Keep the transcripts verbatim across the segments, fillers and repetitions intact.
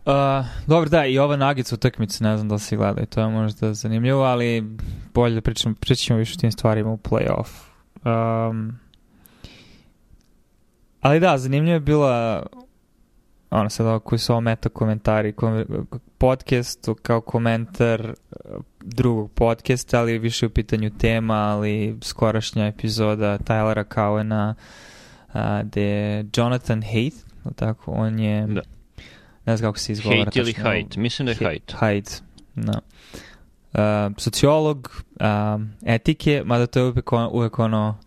Uh, dobro, da, i ova Nuggets utakmica, ne znam da li si gledali, to je možda zanimljivo, ali bolje da pričam, pričamo više o tim stvarima u play-off. Um, ali da, zanimljivo je bila ono sad ovo koji su ovo meta komentari, podcast kao komentar drugog podcasta, ali više u pitanju tema, ali skorašnja epizoda Tylera Cowena, gde je Jonathan Haidt, tako, on je... Da. Ne znam kako se izgovara. Haidt ili Haidt? Mislim da je Haidt. Haidt, da. Uh, sociolog, uh, etike, mada to je uvijek, on, uvijek ono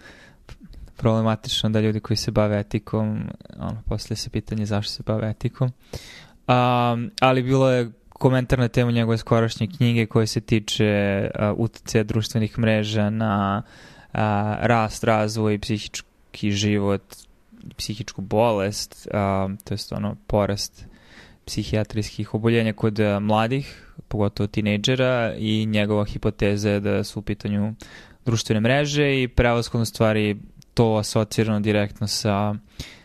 problematično da ljudi koji se bave etikom, ono, poslije se pitanje zašto se bave etikom. Um, ali bilo je komentar na temu njegove skorašnje knjige koje se tiče uh, uticaja društvenih mreža na uh, rast, razvoj i psihički život, psihičku bolest, uh, to je ono porast psihijatrijskih oboljenja kod mladih, pogotovo tinejdžera, i njegova hipoteza je da su u pitanju društvene mreže i prevashodno stvari to asocirano direktno sa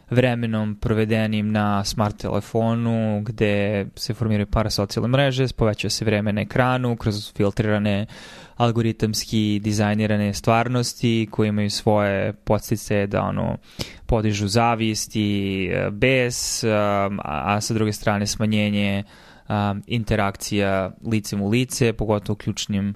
vremenom provedenim na smart telefonu, gde se formiraju parasocijalne mreže, povećava se vreme na ekranu kroz filtrirane algoritamski dizajnirane stvarnosti koje imaju svoje podsticaje da ono podižu zavist i bes, a, a sa druge strane smanjenje a, interakcija licem u lice, pogotovo u ključnim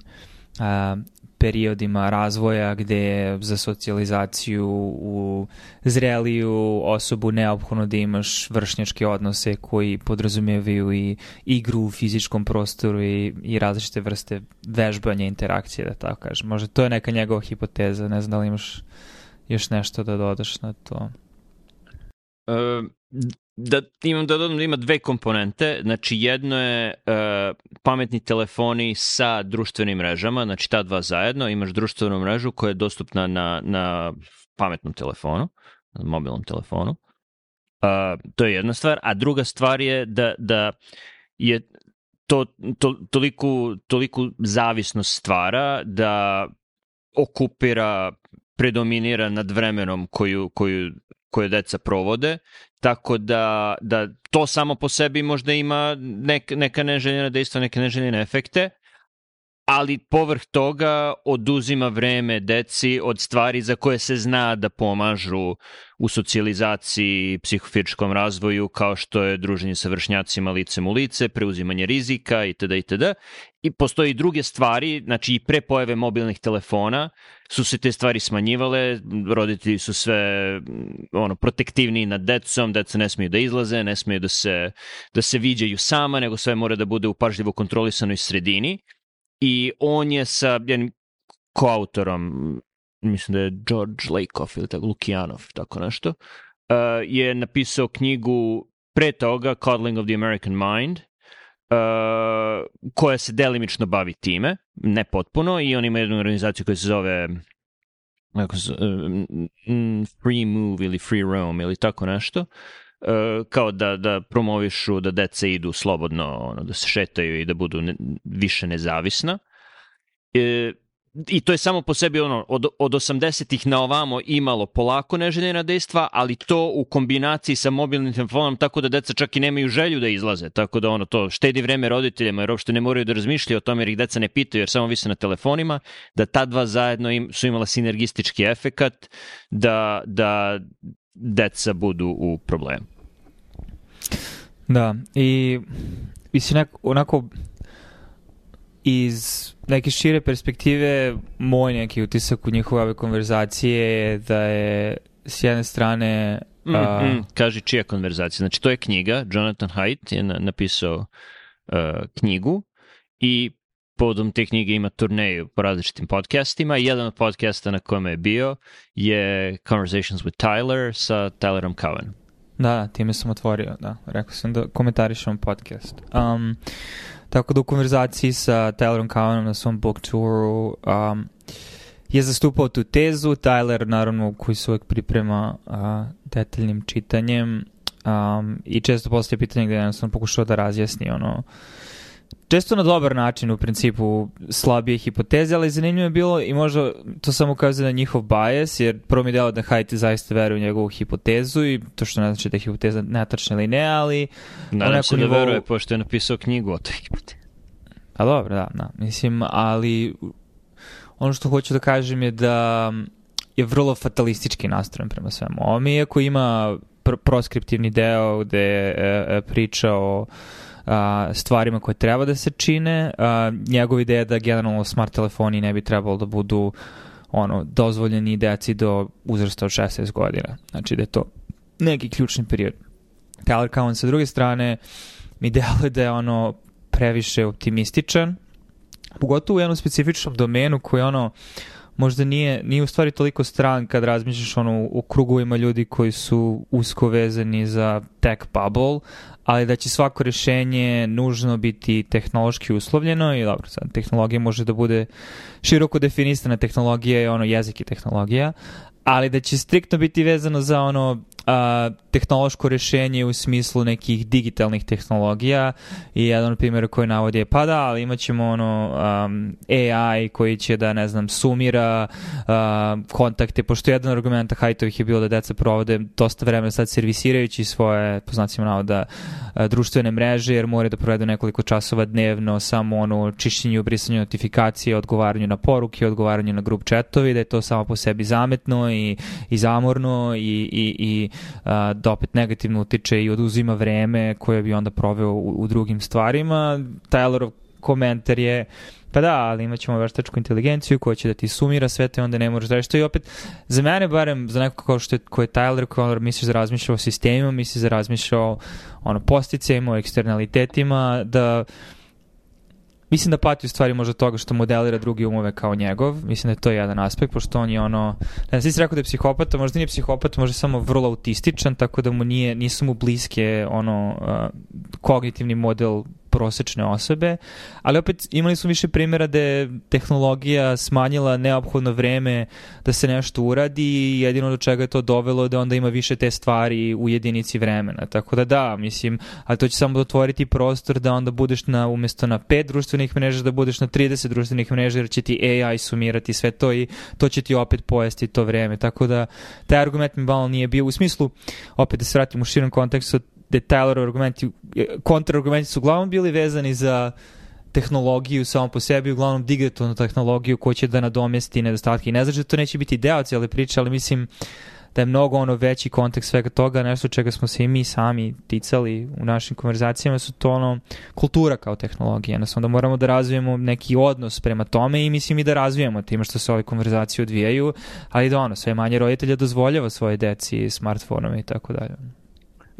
a, periodima razvoja gde za socijalizaciju u zreliju osobu neophodno da imaš vršnjačke odnose koji podrazumijevaju i igru u fizičkom prostoru i, i različite vrste vežbanja interakcije, da tako kažem. Možda to je neka njegova hipoteza, ne znam da li imaš još nešto da dodaš na to. Uh, da imam da dodam da ima dve komponente, znači jedno je uh, pametni telefoni sa društvenim mrežama, znači ta dva zajedno, imaš društvenu mrežu koja je dostupna na, na pametnom telefonu, na mobilnom telefonu, uh, to je jedna stvar, a druga stvar je da, da je to, to toliku, toliku zavisnost stvara da okupira, predominira nad vremenom koju, koju koje deca provode, tako da, da to samo po sebi možda ima nek, neka neželjena dejstva, neke neželjene efekte, ali povrh toga oduzima vreme deci od stvari za koje se zna da pomažu u socijalizaciji, psihofizičkom razvoju, kao što je druženje sa vršnjacima licem u lice, preuzimanje rizika itd. itd. I postoji i druge stvari, znači i pre pojave mobilnih telefona su se te stvari smanjivale, roditelji su sve ono, protektivniji nad decom, deca ne smiju da izlaze, ne smiju da se, da se viđaju sama, nego sve mora da bude u pažljivo kontrolisanoj sredini. I on je sa jednim koautorom, mislim da je George Lakoff ili tako, Lukijanov, tako nešto, uh, je napisao knjigu pre toga, Coddling of the American Mind, uh, koja se delimično bavi time, ne potpuno, i on ima jednu organizaciju koja se zove kako se, uh, Free Move ili Free Roam ili tako nešto, Uh, kao da, da promovišu da deca idu slobodno, ono, da se šetaju i da budu ne, više nezavisna. E, I to je samo po sebi ono, od, od osamdesetih na ovamo imalo polako neželjena dejstva, ali to u kombinaciji sa mobilnim telefonom tako da deca čak i nemaju želju da izlaze, tako da ono to štedi vreme roditeljima jer uopšte ne moraju da razmišljaju o tome jer ih deca ne pitaju jer samo vise na telefonima, da ta dva zajedno im, su imala sinergistički efekat da, da deca budu u problemu. Da, i mislim onako iz neke šire perspektive moj neki utisak u njihove ove konverzacije je da je s jedne strane mm, a... mm, kaži čija konverzacija, znači to je knjiga, Jonathan Haidt je na, napisao uh, knjigu i povodom te knjige ima turneju po različitim podcastima i jedan od podcasta na kojem je bio je Conversations with Tyler sa Tylerom Cowenom. Da, time sam otvorio, da. Rekao sam da komentarišem podcast. Um, tako da u konverzaciji sa Tylerom Cowenom na svom book touru um, je zastupao tu tezu. Tyler, naravno, koji se uvijek priprema uh, detaljnim čitanjem um, i često postoje pitanje gdje jednostavno pokušao da razjasni ono često na dobar način u principu slabije hipoteze, ali zanimljivo je bilo i možda to samo ukazuje na njihov bias, jer prvo mi je delo da Haidt zaista veruje u njegovu hipotezu i to što ne znači da je hipoteza netačna ili ne, ali... Nadam se da nivou... veruje, pošto je napisao knjigu o toj hipotezi. A dobro, da, da, mislim, ali ono što hoću da kažem je da je vrlo fatalistički nastrojen prema svemu ovome, iako ima pr- proskriptivni deo gde je e, priča o a, stvarima koje treba da se čine. A, njegov ideja da generalno smart telefoni ne bi trebalo da budu ono, dozvoljeni deci do uzrasta od šesnaest godina. Znači da je to neki ključni period. Tyler Cowen sa druge strane mi deluje da je ono previše optimističan, pogotovo u jednom specifičnom domenu koji ono možda nije, nije u stvari toliko stran kad razmišljaš ono u krugovima ljudi koji su usko vezani za tech bubble, ali da će svako rešenje nužno biti tehnološki uslovljeno i dobro, sad tehnologija može da bude široko definisana, tehnologija je ono jezik i tehnologija, ali da će striktno biti vezano za ono a, tehnološko rešenje u smislu nekih digitalnih tehnologija i jedan od primjera koji navodi je pa da, ali imat ćemo ono um, A I koji će da, ne znam, sumira uh, kontakte, pošto jedan od argumenta Haidtovih je bilo da deca provode dosta vremena sad servisirajući svoje, po znacima navoda, uh, društvene mreže, jer moraju da provedu nekoliko časova dnevno samo ono čišćenju, brisanju notifikacije, odgovaranju na poruke, odgovaranju na grup chatovi, da je to samo po sebi zametno i, i zamorno i, i, i uh, da opet negativno utiče i oduzima vreme koje bi onda proveo u, u drugim stvarima. Tylerov komentar je pa da, ali imat ćemo veštačku inteligenciju koja će da ti sumira sve to i onda ne možeš da reći. To je opet, za mene barem, za neko kao što je, ko je Tyler, koji misliš da razmišlja o sistemima, misliš da razmišlja o ono, posticajima, o eksternalitetima, da mislim da pati u stvari možda toga što modelira drugi umove kao njegov. Mislim da je to jedan aspekt, pošto on je ono... Ne znam, ti si rekao da je psihopata, možda nije psihopata, možda je samo vrlo autističan, tako da mu nije, nisu mu bliske ono, uh, kognitivni model prosečne osobe, ali opet imali su više primjera da je tehnologija smanjila neophodno vreme da se nešto uradi i jedino do čega je to dovelo da onda ima više te stvari u jedinici vremena. Tako da da, mislim, ali to će samo otvoriti prostor da onda budeš na, umjesto na pet društvenih mreža, da budeš na trideset društvenih mreža, jer će ti A I sumirati sve to i to će ti opet pojesti to vreme. Tako da taj argument mi malo nije bio u smislu, opet da se vratim u širom kontekstu, da Tylerov argumenti, kontrargumenti su uglavnom bili vezani za tehnologiju samo po sebi, uglavnom digitalnu tehnologiju koja će da nadomesti nedostatke. I ne znači da to neće biti deo cijele priče, ali mislim da je mnogo ono veći kontekst svega toga, nešto čega smo se i mi sami ticali u našim konverzacijama, su to ono kultura kao tehnologija. Jednostavno da moramo da razvijemo neki odnos prema tome i mislim i da razvijemo time što se ove konverzacije odvijaju, ali da ono, sve manje roditelja dozvoljava svoje deci smartfonome i tako dalje.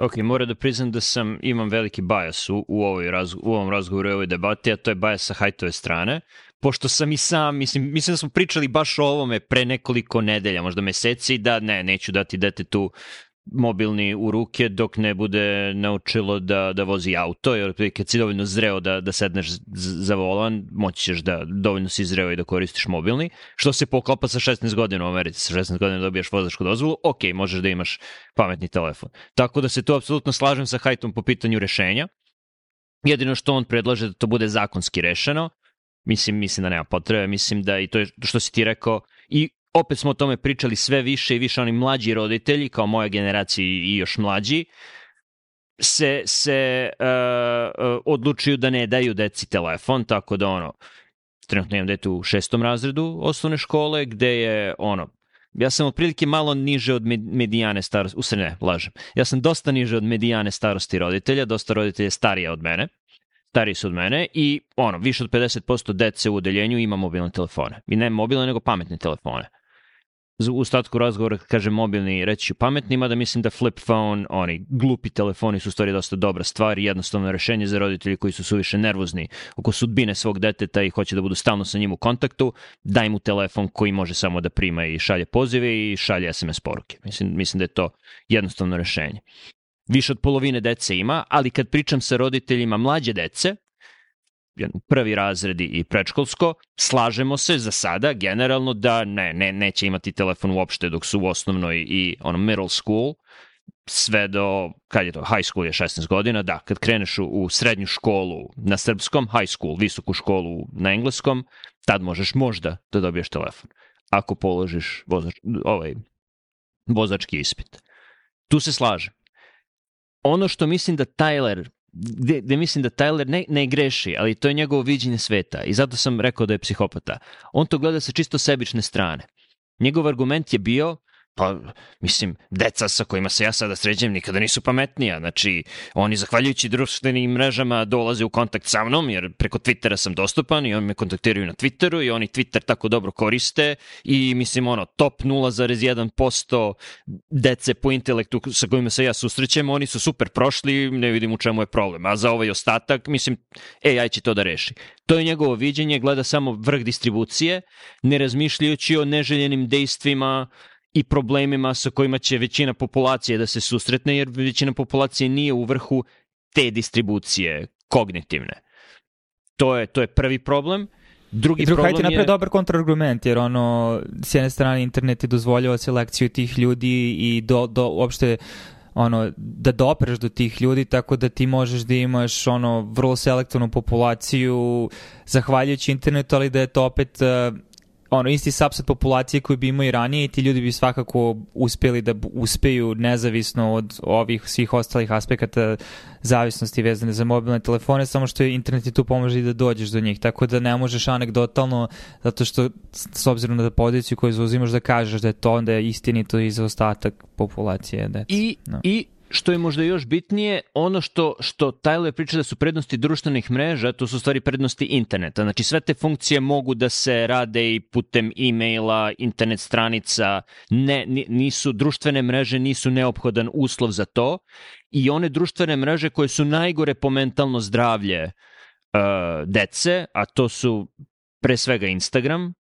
Ok, moram da priznam da sam, imam veliki bias u, u, ovoj raz, u ovom razgovoru i ovoj debati, a to je bias sa Haidtove strane, pošto sam i sam, mislim, mislim da smo pričali baš o ovome pre nekoliko nedelja, možda meseci, da ne, neću dati detetu mobilni u ruke dok ne bude naučilo da, da vozi auto, jer kad si dovoljno zreo da, da sedneš za volan, moći ćeš da dovoljno si zreo i da koristiš mobilni, što se poklapa sa šesnaest godina u Americi, sa šesnaest godina dobijaš vozačku dozvolu, ok, možeš da imaš pametni telefon. Tako da se tu apsolutno slažem sa Haidtom po pitanju rešenja. Jedino što on predlaže da to bude zakonski rešeno, mislim, mislim da nema potrebe, mislim da i to je što si ti rekao, i opet smo o tome pričali sve više i više, oni mlađi roditelji, kao moja generacija i još mlađi, se, se uh, uh, odlučuju da ne daju deci telefon, tako da ono, trenutno imam dete u šestom razredu osnovne škole, gde je ono, ja sam otprilike malo niže od medijane starosti, u stvari ne, lažem, ja sam dosta niže od medijane starosti roditelja, dosta roditelja starija od mene, stariji su od mene i ono, više od pedeset posto dece u odeljenju ima mobilne telefone. I ne mobilne, nego pametne telefone. U ostatku razgovora, kad kažem mobilni, reći ću pametni, mada mislim da flip phone, oni glupi telefoni su u stvari dosta dobra stvar i jednostavno rešenje za roditelji koji su suviše nervozni oko sudbine svog deteta i hoće da budu stalno sa njim u kontaktu, daj mu telefon koji može samo da prima i šalje pozive i šalje S M S poruke. Mislim, mislim da je to jednostavno rešenje. Više od polovine dece ima, ali kad pričam sa roditeljima mlađe dece, prvi razredi i predškolsko, slažemo se za sada generalno da ne, ne, neće imati telefon uopšte dok su u osnovnoj i ono middle school, sve do, kad je to, high school je šesnaest godina, da, kad kreneš u, u srednju školu na srpskom, high school, visoku školu na engleskom, tad možeš možda da dobiješ telefon, ako položiš vozač, ovaj, vozački ispit. Tu se slažem. Ono što mislim da Tyler, gde, gde mislim da Tyler ne, ne greši, ali to je njegovo viđenje sveta i zato sam rekao da je psihopata. On to gleda sa čisto sebične strane. Njegov argument je bio, pa, mislim, deca sa kojima se ja sada sređem nikada nisu pametnija. Znači, oni zahvaljujući društvenim mrežama dolaze u kontakt sa mnom, jer preko Twittera sam dostupan i oni me kontaktiraju na Twitteru i oni Twitter tako dobro koriste i, mislim, ono, top nula zarez jedan posto dece po intelektu sa kojima se ja susrećem, oni su super prošli, ne vidim u čemu je problem. A za ovaj ostatak, mislim, A I će to da reši. To je njegovo viđenje, gleda samo vrh distribucije, ne razmišljajući o neželjenim dejstvima i problemima sa kojima će većina populacije da se susretne, jer većina populacije nije u vrhu te distribucije kognitivne. To je, to je prvi problem. Drugi I drugi, problem hajte je... napravi dobar kontrargument, jer ono, s jedne strane internet je dozvoljava selekciju tih ljudi i do, do, uopšte ono, da dopreš do tih ljudi, tako da ti možeš da imaš ono, vrlo selektivnu populaciju zahvaljujući internetu, ali da je to opet... Uh, ono, isti subset populacije koji bi imao i ranije i ti ljudi bi svakako uspjeli da uspeju nezavisno od ovih svih ostalih aspekata zavisnosti vezane za mobilne telefone, samo što je internet i tu pomože i da dođeš do njih, tako da ne možeš anegdotalno, zato što s obzirom na poziciju koju zauzimaš da kažeš da je to onda je istinito i za ostatak populacije. Deci. I, no. I što je možda još bitnije, ono što, što Tyler priča da su prednosti društvenih mreža, to su u stvari prednosti interneta. Znači sve te funkcije mogu da se rade i putem e-maila, internet stranica, ne, nisu, društvene mreže nisu neophodan uslov za to i one društvene mreže koje su najgore po mentalno zdravlje uh, dece, a to su pre svega Instagram,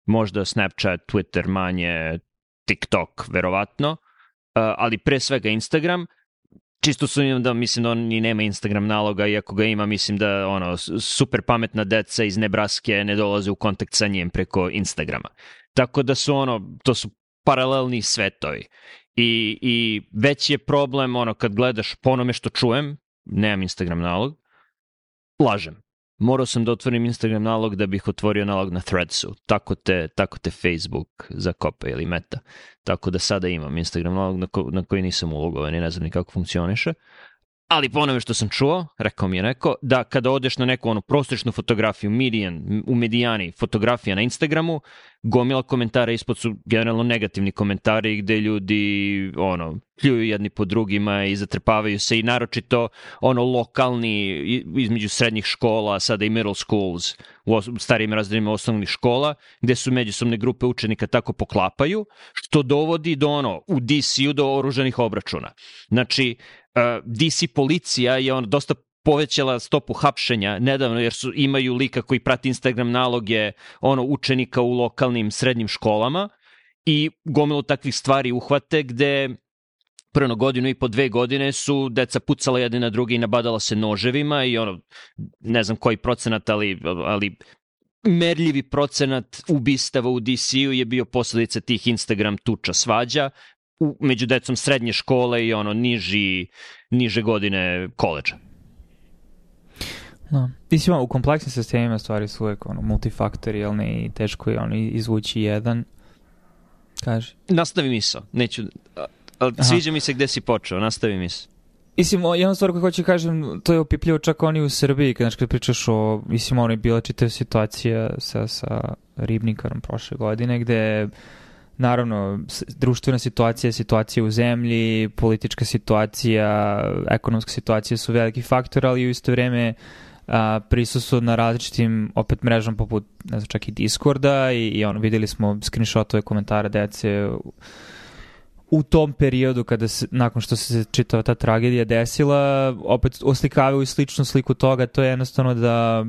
možda Snapchat, Twitter manje, TikTok verovatno, Uh, ali pre svega Instagram, čisto sumnjam da mislim da on ni nema Instagram naloga, iako ga ima, mislim da ono, super pametna deca iz Nebraske ne dolaze u kontakt sa njim preko Instagrama. Tako da su ono, to su paralelni svetovi. I, i već je problem ono kad gledaš po onome što čujem, nemam Instagram nalog, lažem. Morao sam da otvorim Instagram nalog da bih otvorio nalog na Threadsu. Tako te, tako te Facebook zakopa ili Meta. Tako da sada imam Instagram nalog na, ko, na koji nisam ulogovan i ne znam ni kako funkcioniše. Ali po onome što sam čuo, rekao mi je neko, da kada odeš na neku onu prosječnu fotografiju, median, u medijani fotografija na Instagramu, gomila komentara ispod su generalno negativni komentari gde ljudi ono, pljuju jedni po drugima i zatrpavaju se i naročito ono lokalni između srednjih škola, sada i middle schools, u starijim razredima osnovnih škola, gde su međusobne grupe učenika tako poklapaju, što dovodi do ono, u D C-u do oružanih obračuna. Znači, Uh, D C policija je on dosta povećala stopu hapšenja nedavno jer su imaju lika koji prati Instagram naloge ono učenika u lokalnim srednjim školama i gomilu takvih stvari uhvate gde prvo godinu i po dve godine su deca pucala jedne na druge i nabadala se noževima i ono ne znam koji procenat ali, ali merljivi procenat ubistava u D C-u je bio posledica tih Instagram tuča svađa u, među decom srednje škole i ono niži, niže godine koledža. No. Mislim, u kompleksnim sistemima stvari su uvek ono, multifaktorijalne i teško je ono, izvući jedan. Kaži. Nastavi misao. Neću, ali sviđa mi se gde si počeo. Nastavi misao. Mislim, jedna stvar koju hoću kažem, to je opipljivo čak oni u Srbiji, kad, kad pričaš o, mislim, ono je bila čitava situacija sa, sa ribnikarom prošle godine, gde naravno, društvena situacija, situacija u zemlji, politička situacija, ekonomska situacija su veliki faktor, ali u isto vreme a, prisustvo na različitim opet mrežama poput, ne znam, čak i Discorda i, i ono, videli smo screenshotove komentara dece u, u tom periodu kada se, nakon što se čitava ta tragedija desila, opet oslikavaju i sličnu sliku toga, to je jednostavno da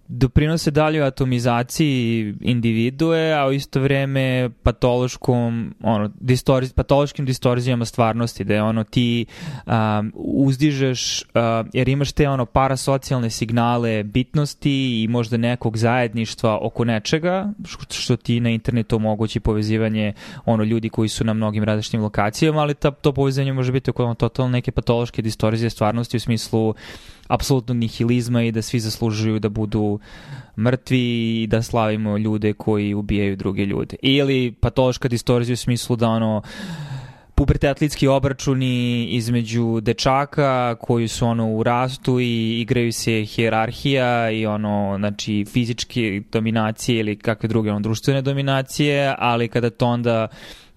doprinose daljoj atomizaciji individue, a u isto vreme patološkom, ono, distorz, patološkim distorzijama stvarnosti, da je ono ti um, uzdižeš, uh, jer imaš te ono parasocijalne signale bitnosti i možda nekog zajedništva oko nečega, što ti na internetu omogući povezivanje ono ljudi koji su na mnogim različitim lokacijama, ali ta, to povezivanje može biti oko ono, totalno neke patološke distorzije stvarnosti u smislu apsolutnog nihilizma i da svi zaslužuju da budu mrtvi i da slavimo ljude koji ubijaju druge ljude. Ili patološka distorzija u smislu da ono pubertetlički obračuni između dečaka koji su ono u rastu i igraju se hijerarhija i ono, znači fizičke dominacije ili kakve druge ono, društvene dominacije, ali kada to onda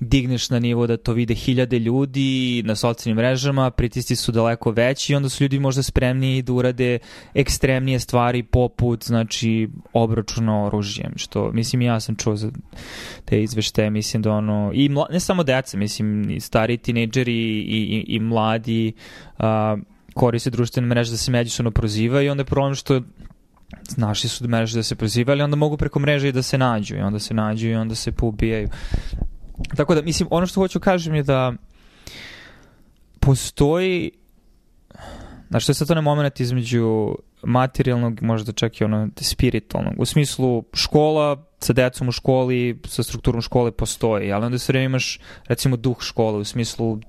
digneš na nivo da to vide hiljade ljudi na socijalnim mrežama, pritisci su daleko veći i onda su ljudi možda spremni da urade ekstremnije stvari poput, znači, obračuna oružjem, što, mislim, ja sam čuo za te izveštaje, mislim da ono, i mla, ne samo deca, mislim, i stari tinejdžeri i, i, i mladi a, koriste društvene mreže da se međusobno prozivaju i onda je problem što našli su mreže da se prozivaju, ali onda mogu preko mreže i da se nađu i onda se nađu i onda se poubijaju. Tako da, mislim, ono što hoću kažem je da postoji, znači to je sad to ne moment između materijalnog, možda čak i ono spiritualnog, u smislu škola sa decom u školi, sa strukturom škole postoji, ali onda sve vreme imaš recimo duh škole, u smislu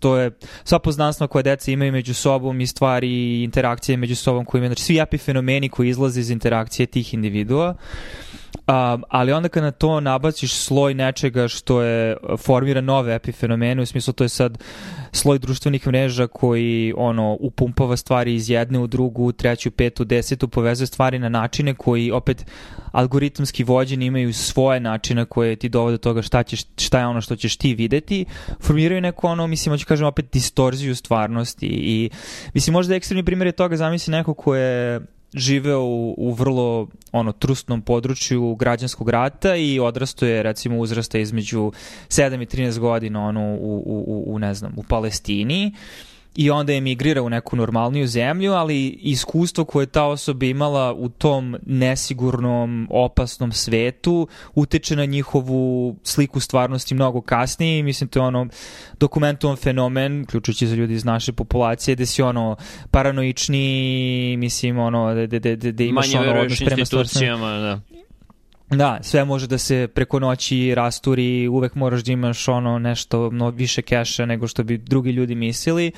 to je sva poznanstva koje deca imaju među sobom i stvari i interakcije među sobom koje imaju, znači svi epifenomeni koji izlaze iz interakcije tih individua. Um, ali onda kad na to nabaciš sloj nečega što je formira nove epifenomene, u smislu to je sad sloj društvenih mreža koji ono upumpava stvari iz jedne u drugu, treću, petu, desetu, povezuje stvari na načine koji opet algoritamski vođeni imaju svoje načine koje ti dovode do toga šta, ćeš, šta je ono što ćeš ti videti, formiraju neko ono, mislim, hoću kažem opet distorziju stvarnosti i mislim možda ekstremni primjer je toga, zamisli neko ko je živeo u, u vrlo ono trusnom području građanskog rata i odrasto je recimo uzrasta između sedam i trinaest godina ono u, u, u ne znam u Palestini i onda je emigrirao u neku normalniju zemlju, ali iskustvo koje ta osoba imala u tom nesigurnom, opasnom svetu utiče na njihovu sliku stvarnosti mnogo kasnije i mislim to je ono dokumentovan fenomen, uključujući za ljudi iz naše populacije, gde si ono paranoični, mislim ono da da da da imaš manje ono odnos prema institucijama, da. Da, sve može da se preko noći rasturi, uvek moraš da imaš ono nešto mnogo više keša nego što bi drugi ljudi mislili.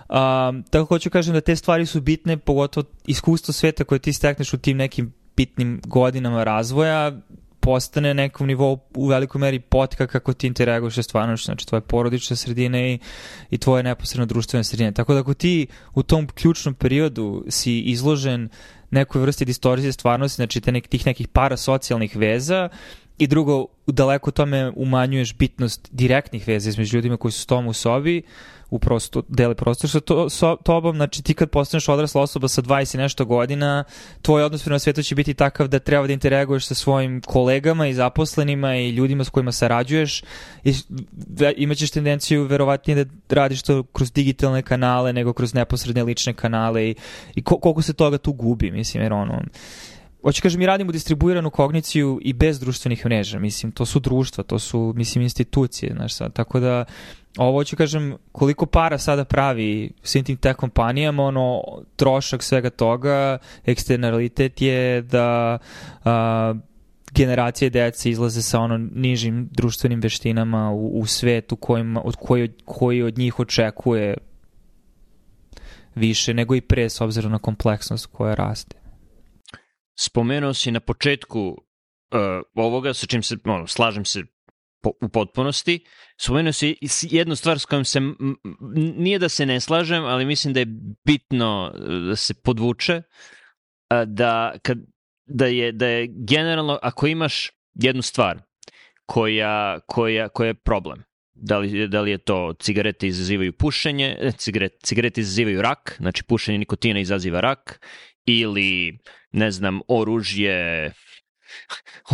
Um, tako hoću kažem da te stvari su bitne, pogotovo iskustvo sveta koje ti stekneš u tim nekim bitnim godinama razvoja postane nekom nivou u velikoj meri potka kako ti interaguješ sa stvarnošću, znači tvoje porodične sredine i, i tvoje neposredno društvene sredine. Tako da ako ti u tom ključnom periodu si izložen nekoj vrsti distorzije stvarnosti, znači te nek, tih nekih parasocijalnih veza i drugo, daleko tome umanjuješ bitnost direktnih veza između ljudima koji su s tom u sobi, u prosto, deli prostor sa to, so, tobom, znači ti kad postaneš odrasla osoba sa dvadeset i nešto godina, tvoj odnos prema svetu će biti takav da treba da interaguješ sa svojim kolegama i zaposlenima i ljudima s kojima sarađuješ i imaćeš tendenciju verovatnije da radiš to kroz digitalne kanale nego kroz neposredne lične kanale i, i koliko se toga tu gubi, mislim, jer ono... Hoću kažem, mi radimo distribuiranu kogniciju i bez društvenih mreža, mislim, to su društva, to su, mislim, institucije, znaš sad, tako da ovo ću kažem, koliko para sada pravi svim tim tech kompanijama, ono, trošak svega toga, eksternalitet je da a, generacije dece izlaze sa ono nižim društvenim veštinama u, u svetu kojima, od koji, koji od njih očekuje više nego i pre s obzirom na kompleksnost koja raste. Spomenuo si na početku uh, ovoga, sa čim se, ono, slažem se po, u potpunosti, spomenuo si jednu stvar s kojom se, m, nije da se ne slažem, ali mislim da je bitno da se podvuče, uh, da, kad, da, je, da je generalno, ako imaš jednu stvar koja, koja, koja je problem, da li, da li je to cigarete izazivaju pušenje, cigarete, cigarete izazivaju rak, znači pušenje nikotina izaziva rak, ili, ne znam, oružje,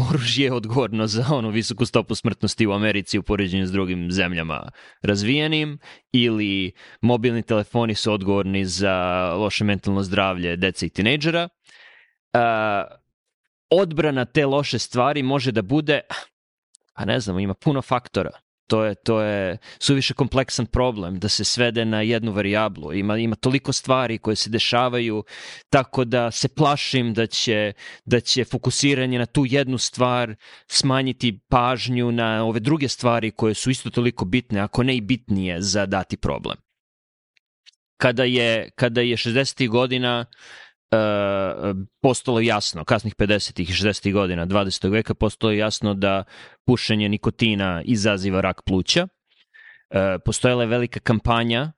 oružje je odgovorno za onu visoku stopu smrtnosti u Americi u poređenju s drugim zemljama razvijenim, ili mobilni telefoni su odgovorni za loše mentalno zdravlje dece i tinejdžera. Uh, odbrana te loše stvari može da bude, pa ne znam, ima puno faktora. To je, to je suviše kompleksan problem da se svede na jednu varijablu. Ima, ima toliko stvari koje se dešavaju, tako da se plašim da će, da će fokusiranje na tu jednu stvar smanjiti pažnju na ove druge stvari koje su isto toliko bitne, ako ne i bitnije za dati problem. Kada je, kada je šezdesetih godina Uh, postalo jasno, kasnih pedesetih i šezdesetih godina dvadesetog veka, postalo jasno da pušenje nikotina izaziva rak pluća. Uh, postojala je velika kampanja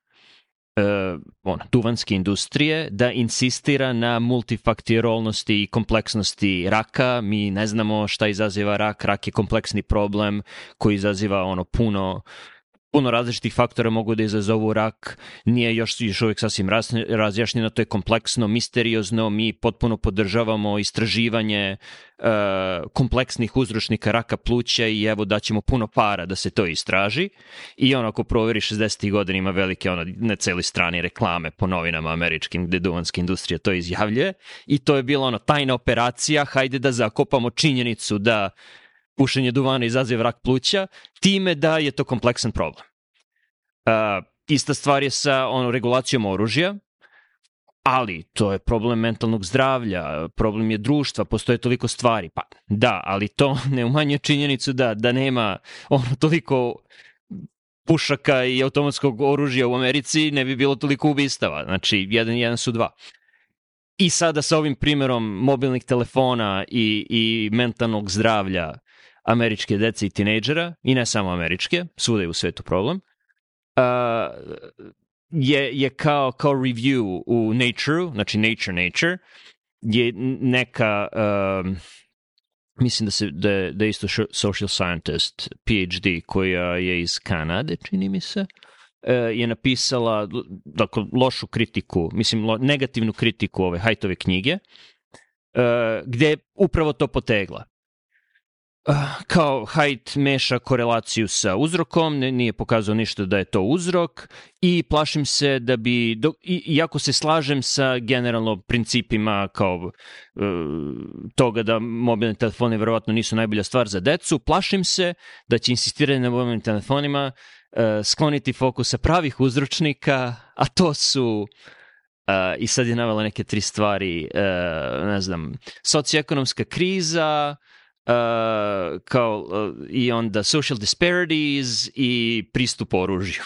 uh, ona, duvanske industrije da insistira na multifaktorolnosti i kompleksnosti raka. Mi ne znamo šta izaziva rak. Rak je kompleksni problem koji izaziva ono puno puno različitih faktora mogu da izazovu rak, nije još, još uvijek sasvim razjašnjeno, to je kompleksno, misteriozno, mi potpuno podržavamo istraživanje uh, kompleksnih uzročnika raka pluća i evo daćemo puno para da se to istraži. I on ako proveri šezdesetih godina ima velike, ono, na celi strani reklame po novinama američkim gde duvanska industrija to izjavljuje i to je bila ono tajna operacija, hajde da zakopamo činjenicu da pušenje duvana izaziva rak pluća, time da je to kompleksan problem. Uh, ista stvar je sa ono, regulacijom oružja, ali to je problem mentalnog zdravlja, problem je društva, postoje toliko stvari. Pa da, ali to ne umanjuje činjenicu da, da nema ono, toliko pušaka i automatskog oružja u Americi, ne bi bilo toliko ubistava. Znači, jedan i jedan su dva. I sada sa ovim primjerom mobilnih telefona i, i mentalnog zdravlja američke dece i tinejdžera, i ne samo američke, svuda je u svetu problem, uh, je, je kao, kao review u Nature, znači Nature Nature, je neka, uh, mislim da, se, da, je, da je isto social scientist, P H D, koja je iz Kanade, čini mi se, uh, je napisala dakle, lošu kritiku, mislim lo, negativnu kritiku ove Haidtove knjige, uh, gde je upravo to potegla. Uh, kao Haidt meša korelaciju sa uzrokom, ne, nije pokazao ništa da je to uzrok i plašim se da bi, do, i, iako se slažem sa generalno principima kao uh, toga da mobilni telefoni verovatno nisu najbolja stvar za decu, plašim se da će insistiranje na mobilnim telefonima uh, skloniti fokus sa pravih uzročnika, a to su uh, i sad je navela neke tri stvari, uh, ne znam, socioekonomska kriza, Uh, kao uh, i onda social disparities i pristup oružju.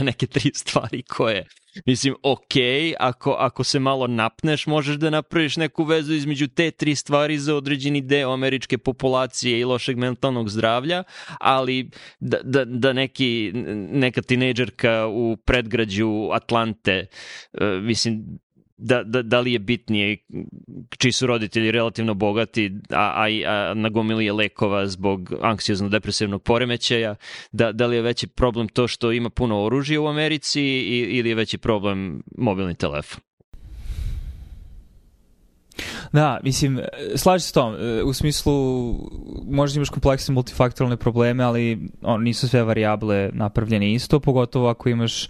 Neke tri stvari koje, mislim, ok, ako, ako se malo napneš, možeš da napraviš neku vezu između te tri stvari za određeni deo američke populacije i lošeg mentalnog zdravlja, ali da, da, da neki, neka tinejdžerka u predgrađu Atlante, uh, mislim, Da, da, da li je bitnije čiji su roditelji relativno bogati, a, a, a nagomili je lekova zbog anksiozno-depresivnog poremećaja, da, da li je veći problem to što ima puno oružja u Americi i, ili je veći problem mobilni telefon? Da, mislim, slažem se s tom, u smislu možda imaš kompleksne multifaktoralne probleme, ali on, nisu sve varijable napravljene isto, pogotovo ako imaš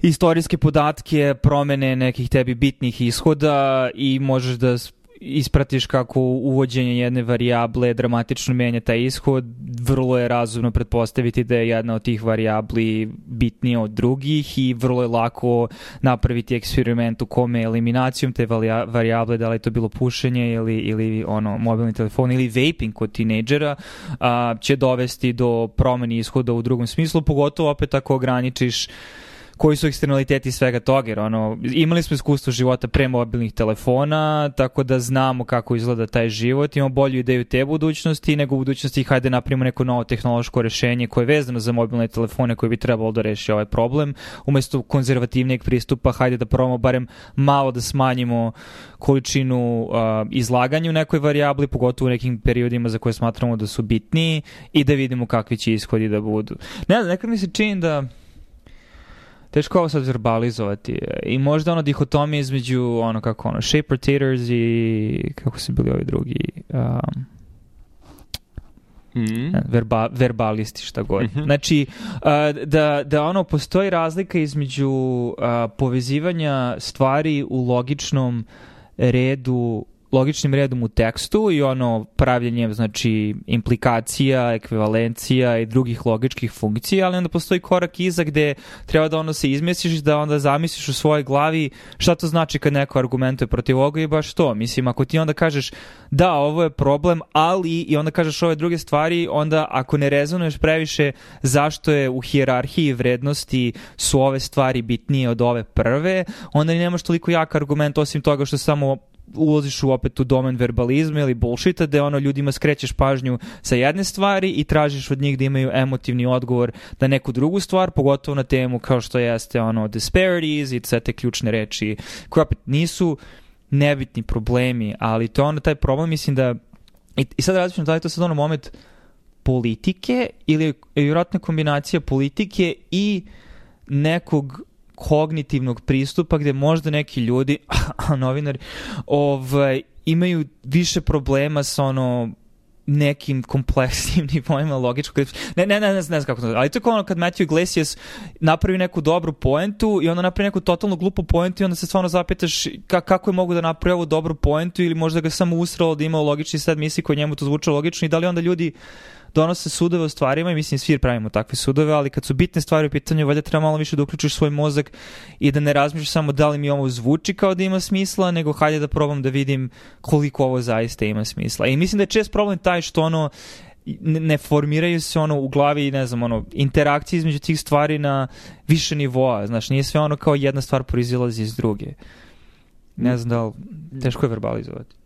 istorijske podatke, promene nekih tebi bitnih ishoda i možeš da ispratiš kako uvođenje jedne varijable dramatično menja taj ishod. Vrlo je razumno pretpostaviti da je jedna od tih varijabli bitnija od drugih i vrlo je lako napraviti eksperiment u kome eliminacijom te varijable, da li je to bilo pušenje ili, ili ono, mobilni telefon ili vaping kod tinejdžera, a, će dovesti do promeni ishoda u drugom smislu, pogotovo opet ako ograničiš koji su eksternaliteti svega toga, jer ono, imali smo iskustvo života pre mobilnih telefona, tako da znamo kako izgleda taj život, imamo bolju ideju te budućnosti, nego u budućnosti hajde napravimo neko novo tehnološko rešenje koje je vezano za mobilne telefone koje bi trebalo da reši ovaj problem, umesto konzervativnijeg pristupa, hajde da probamo barem malo da smanjimo količinu uh, izlaganja u nekoj varijabli, pogotovo u nekim periodima za koje smatramo da su bitniji i da vidimo kakvi će ishodi da budu. Ne znam, nekad mi se čini da teško ovo sad verbalizovati. I možda ono dihotomija između ono kako ono, shape rotators i kako su bili ovi drugi um, mm. verba, verbalisti, šta god. Mm-hmm. Znači, uh, da, da ono postoji razlika između uh, povezivanja stvari u logičnom redu logičnim redom u tekstu i ono pravljenjem, znači, implikacija, ekvivalencija i drugih logičkih funkcija, ali onda postoji korak iza gde treba da ono se izmestiš, da onda zamisliš u svojoj glavi šta to znači kad neko argumentuje protiv ovoga i baš to. Mislim, ako ti onda kažeš da, ovo je problem, ali i onda kažeš ove druge stvari, onda ako ne rezonuješ previše zašto je u hijerarhiji vrednosti su ove stvari bitnije od ove prve, onda nemaš toliko jak argument osim toga što samo ulaziš u opet u domen verbalizma ili bullshita, gde ono ljudima skrećeš pažnju sa jedne stvari i tražiš od njih da imaju emotivni odgovor na neku drugu stvar, pogotovo na temu kao što jeste ono disparities i sve te ključne reči koje opet nisu nebitni problemi, ali to je ono taj problem, mislim da i, i sad različim da li to sad ono moment politike ili je vjerojatna kombinacija politike i nekog kognitivnog pristupa gde možda neki ljudi, novinari, ovaj, imaju više problema sa ono nekim kompleksnim nivoima logičkog. Ne, ne, ne, ne, ne znam kako to, ali to je kao ono kad Matthew Iglesias napravi neku dobru poentu i onda napravi neku totalno glupu poentu i onda se stvarno zapitaš ka, kako je mogu da napravi ovu dobru poentu ili možda ga samo usralo da ima logični sad misli koji njemu to zvuče logično i da li onda ljudi donose sudove o stvarima i mislim svi pravimo takve sudove, ali kad su bitne stvari u pitanju, valjda treba malo više da uključiš svoj mozak i da ne razmišljaš samo da li mi ovo zvuči kao da ima smisla, nego hajde da probam da vidim koliko ovo zaista ima smisla. I mislim da je čest problem taj što ono ne formiraju se ono u glavi, ne znam, ono interakcije između tih stvari na više nivoa, znaš, nije sve ono kao jedna stvar proizilazi iz druge. Ne znam da li, teško je verbalizovati.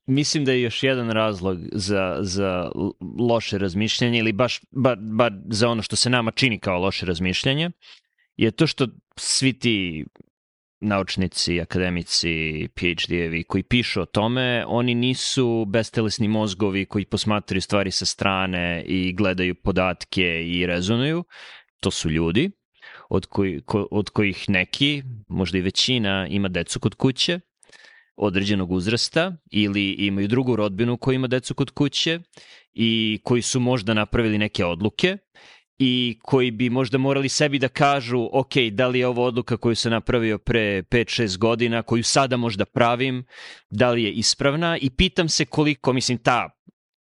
Mislim da je još jedan razlog za, za loše razmišljanje ili baš bar, bar za ono što se nama čini kao loše razmišljanje je to što svi ti naučnici, akademici, PhD-evi koji pišu o tome, oni nisu bestelesni mozgovi koji posmatraju stvari sa strane i gledaju podatke i rezonuju. To su ljudi od, koji, ko, od kojih neki, možda i većina, ima decu kod kuće određenog uzrasta ili imaju drugu rodbinu koja ima decu kod kuće i koji su možda napravili neke odluke i koji bi možda morali sebi da kažu ok, da li je ovo odluka koju sam napravio pre pet šest godina, koju sada možda pravim, da li je ispravna i pitam se koliko, mislim, ta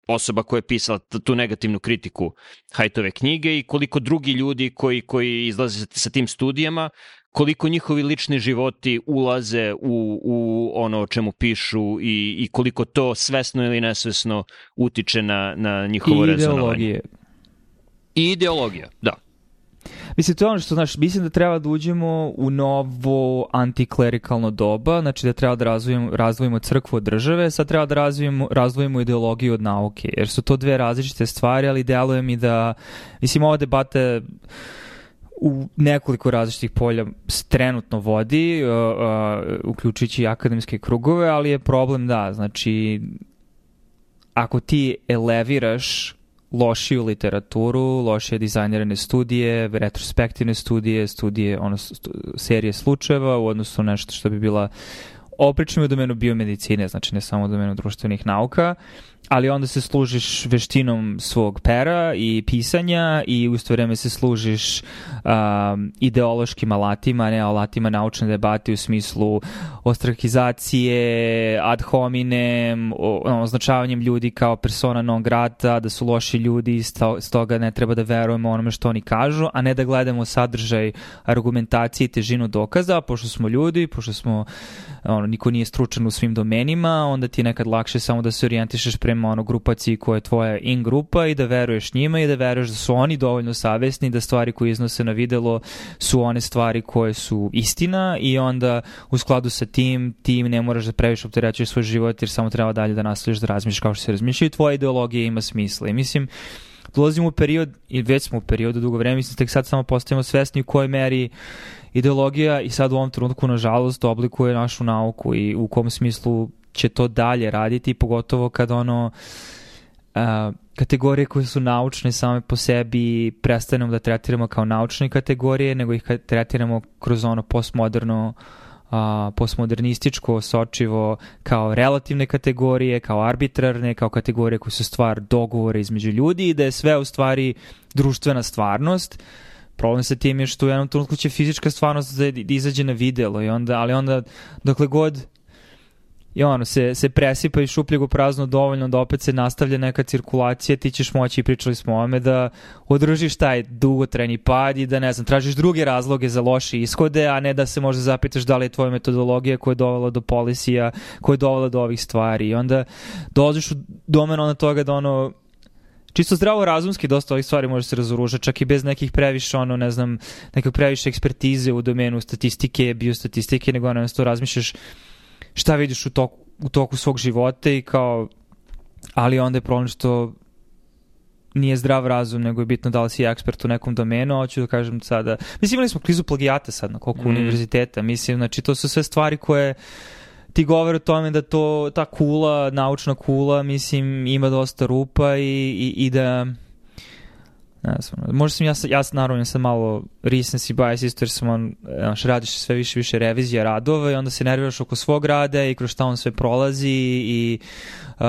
osoba koja je pisala tu negativnu kritiku Haidtove knjige i koliko drugi ljudi koji, koji izlaze sa tim studijama, koliko njihovi lični životi ulaze u, u ono o čemu pišu i, i koliko to svesno ili nesvesno utiče na, na njihovo I rezonovanje. Ideologije. I ideologija, da. Mislim, to je ono što, znaš, mislim da treba da uđemo u novo antiklerikalno doba, znači da treba da razvijemo, razvojimo crkvu od države, sad treba da razvijemo, razvojimo ideologiju od nauke, jer su to dve različite stvari, ali deluje mi da, mislim, ova debata u nekoliko različitih polja trenutno vodi, uh, uh, uključujući akademske krugove, ali je problem da, znači, ako ti eleviraš lošiju literaturu, lošije dizajnirane studije, retrospektivne studije, studije, ono, stu, serije slučajeva u odnosu na nešto što bi bila opričamo u domenu biomedicine, znači ne samo u domenu društvenih nauka, ali onda se služiš veštinom svog pera i pisanja i u isto vreme se služiš um, ideološkim alatima, ne alatima naučne debate u smislu ostrakizacije, ad hominem, o, označavanjem ljudi kao persona non grata, da su loši ljudi, stoga ne treba da verujemo onome što oni kažu, a ne da gledamo sadržaj argumentacije i težinu dokaza, pošto smo ljudi, pošto smo, ono, niko nije stručan u svim domenima, onda ti je nekad lakše samo da se orijentišeš prema ono grupaciji koja je tvoja in grupa i da veruješ njima i da veruješ da su oni dovoljno savesni, da stvari koje iznose na videlo su one stvari koje su istina i onda u skladu sa tim ti ne moraš da previše opterećuješ svoj život jer samo treba dalje da nastaviš da razmišljaš kao što se razmišlja i tvoja ideologija ima smisla. I mislim, dolazimo u period, i već smo u periodu dugo vremena, mislim, tek sad samo postajemo svesni u kojoj meri ideologija i sad u ovom trenutku, nažalost, oblikuje našu nauku i u kom smislu će to dalje raditi, pogotovo kad ono a, kategorije koje su naučne same po sebi prestanemo da tretiramo kao naučne kategorije, nego ih tretiramo kroz ono postmoderno a, postmodernističko sočivo kao relativne kategorije, kao arbitrarne, kao kategorije koje su stvar dogovora između ljudi i da je sve u stvari društvena stvarnost. Problem sa tim je što u jednom trenutku će fizička stvarnost da izađe na videlo i onda, ali onda dokle god i ono, se, se presipa iz šupljeg u prazno dovoljno da opet se nastavlja neka cirkulacija, ti ćeš moći, pričali smo o ome, da održiš taj dugotrajni pad i da, ne znam, tražiš druge razloge za loše ishode, a ne da se možda zapitaš da li je tvoja metodologija koja je dovela do polisija, koja je dovela do ovih stvari. I onda dolaziš u domen ona toga da ono, čisto zdravo razumski dosta ovih stvari može se razoružati, čak i bez nekih previše, ono, ne znam, nekog previše ekspertize u domenu statistike, biostatistike, nego ono, to razmišljaš šta vidiš u toku, u toku svog života i kao, ali onda je problem što nije zdrav razum, nego je bitno da li si ekspert u nekom domenu, a hoću da kažem sada, mislim, imali smo krizu plagijata sad na koliko mm. univerziteta, mislim, znači to su sve stvari koje ti govore o tome da to, ta kula, naučna kula, mislim, ima dosta rupa i, i, i da, ne znam, možda sam ja, ja naravno sam malo recency bias isto jer sam on, znaš, radiš sve više više revizija radova i onda se nerviraš oko svog rada i kroz šta on sve prolazi i uh,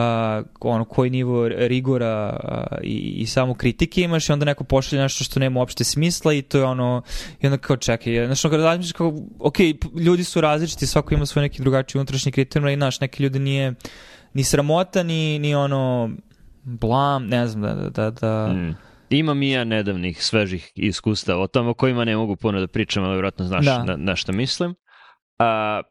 ono, koji nivo rigora uh, i, i samo kritike imaš i onda neko pošalje nešto što nema uopšte smisla i to je ono, i onda kao čekaj, znaš, ono, kada razmišljaš kao, ok, ljudi su različiti, svako ima svoj neki drugačiji unutrašnji kriterijum i znaš, neki ljudi nije ni sramota, ni, ni ono blam, ne znam, da, da, da mm. Imam i ja nedavnih svežih iskustava o tom o kojima ne mogu puno da pričam, ali vjerojatno znaš da. na, na šta mislim. A,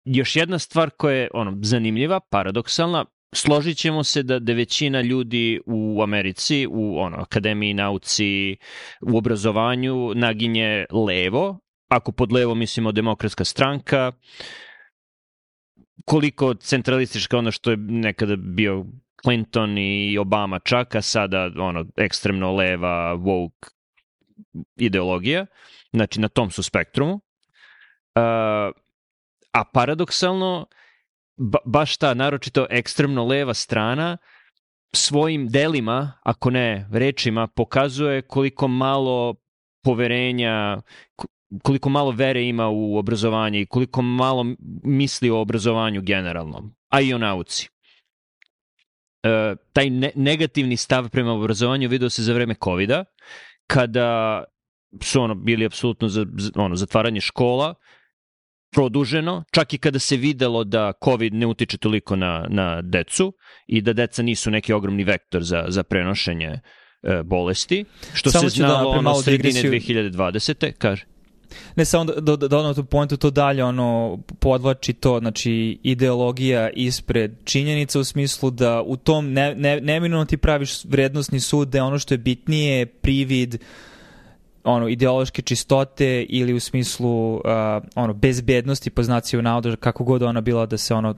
još jedna stvar koja je ono, zanimljiva, paradoksalna, složit ćemo se da, da većina ljudi u Americi, u ono, akademiji, nauci, u obrazovanju naginje levo. Ako pod levo mislimo Demokratska stranka, koliko centralistička ono što je nekada bio Clinton i Obama čak, a sada ono, ekstremno leva, woke ideologija, znači na tom su spektrumu. Uh, a paradoksalno, ba, baš ta naročito ekstremno leva strana svojim delima, ako ne rečima, pokazuje koliko malo poverenja, koliko malo vere ima u obrazovanje i koliko malo misli o obrazovanju generalno, a i o nauci. Uh, taj ne- negativni stav prema obrazovanju video se za vreme covida, kada su ono bili apsolutno za, za, ono, zatvaranje škola, produženo, čak i kada se videlo da COVID ne utiče toliko na, na decu i da deca nisu neki ogromni vektor za, za prenošenje uh, bolesti, što Samo se znalo da ono sredine dve hiljade dvadesete kaže. Ne, samo da, da, da ono tu pointu to dalje ono podvlači to, znači ideologija ispred činjenica u smislu da u tom ne, ne, neminovno ti praviš vrednostni sud da je ono što je bitnije privid ono ideološke čistote ili u smislu uh, ono bezbednosti po znacima navoda, kako god ona bila da se ono